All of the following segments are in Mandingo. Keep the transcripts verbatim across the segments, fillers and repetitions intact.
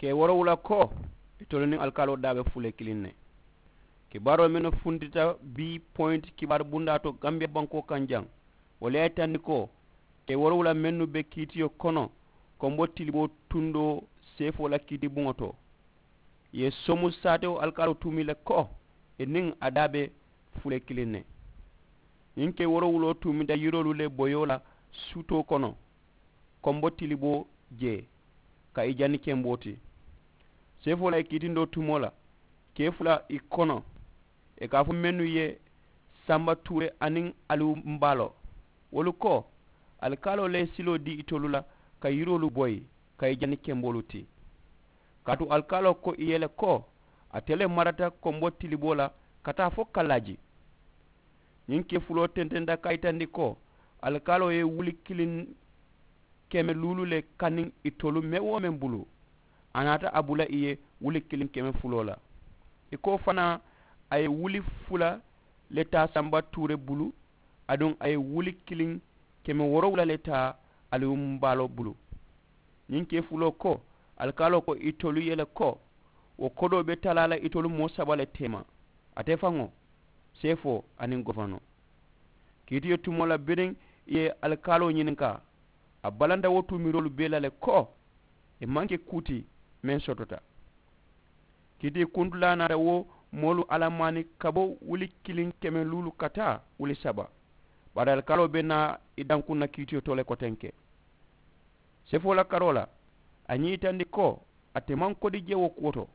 Kee woorowula ko, itolu niŋ alikaaloo daa be fulee kiliŋ ne. Kibaaroo mennu funtita bii poyinti kibaaru bundaa to gambiya bankoo kaŋ jaŋ, wolu ye a yitandi ko, kee woorowula mennu be kiitiyo kono, konbo tiliboo tundoo seefoo la kiiti buŋo to, ì ye somu saatewo alikaaloo tuumi le ko, ì niŋ a daa be fulee kiliŋ ne. Ñiŋ kee woorowuloo tuumita yiroolu le boyoo la suutoo kono, konbo tiliboo jee, ka ì jani kenboo ti. Seefoo la ì kiitindoo tumoo la, kee fula ì kono, ì ka a fo mennu ye, sanba tuure aniŋ aliwu mbaalo, wolu ko, alikaaloo le ye siloo dii itolu la, ka yiroolu boyi, ka ì jani kenboolu ti. Kaatu alikaaloo ko ì ye le ko, ate le marata konbo tiliboo la ka taa fo kallaaji. Ñiŋ kee fuloo tententa ka a yitandi ko, alikaaloo ye wuli kiliŋ keme luulu le kaniŋ itolu meŋ-wo-meŋ bulu, a naata a bula ì ye wuli kiliŋ keme fuloo la. Ì ko fanaa, a ye wuli fula le taa sanba tuure bulu, aduŋ a ye wuli kiliŋ keme woorowula le taa aliwumbaaloo bulu. Ñiŋ kee fuloo ko, alikaaloo ko itolu ye le ko, wo kodoo be talaa la itolu moo saba le teema, ate faŋo, seefoo aniŋ gofanoo. Kiitiyo tumoo la biriŋ ì ye alikaaloo ñininkaa, a balanta wo tuumiroolu bee la le ko, ì maŋ ke kuu ti meŋ sotota. Kiitikuntullaa naata wo moolu alamaani ka bo wuli kiliŋ keme luulu ka taa wuli saba. Bari alikaaloo be naa ì dankuŋ na kiitiyo to le kotenke. Seefoo la karoo la, a ñiŋ yitandi ko, ate maŋ kodi je wo kuwo to.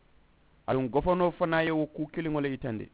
Aduŋ gofanoo fanaa ye wo kuu kiliŋo le yitandi.